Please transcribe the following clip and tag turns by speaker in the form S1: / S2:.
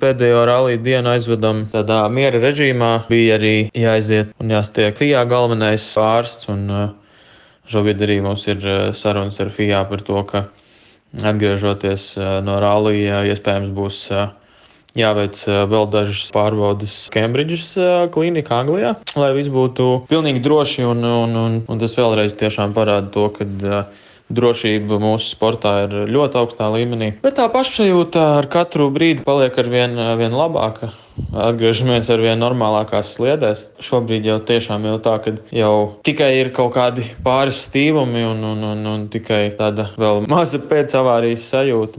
S1: Pēdējo rallija dienu aizvedam tādā miera režīmā. Bija arī jāaiziet un jāstiek FIA galvenais ārsts. Šobrīd arī mums ir sarunas ar FIA par to, ka atgriežoties no rallija, iespējams būs jāveic vēl dažas pārbaudes Cambridges klīnikā Anglijā, lai viss būtu pilnīgi droši. Un tas vēlreiz tiešām parāda to, ka drošība mūsu sportā ir ļoti augstā līmenī. Bet tā pašsajūta ar katru brīdi paliek ar vien labāka. Atgriežamies ar vien normālākās sliedēs. Šobrīd jau tiešām ir tā, ka jau tikai ir kaut kādi pāris stīvumi un tikai tāda vēl maza pēcavārijas sajūta.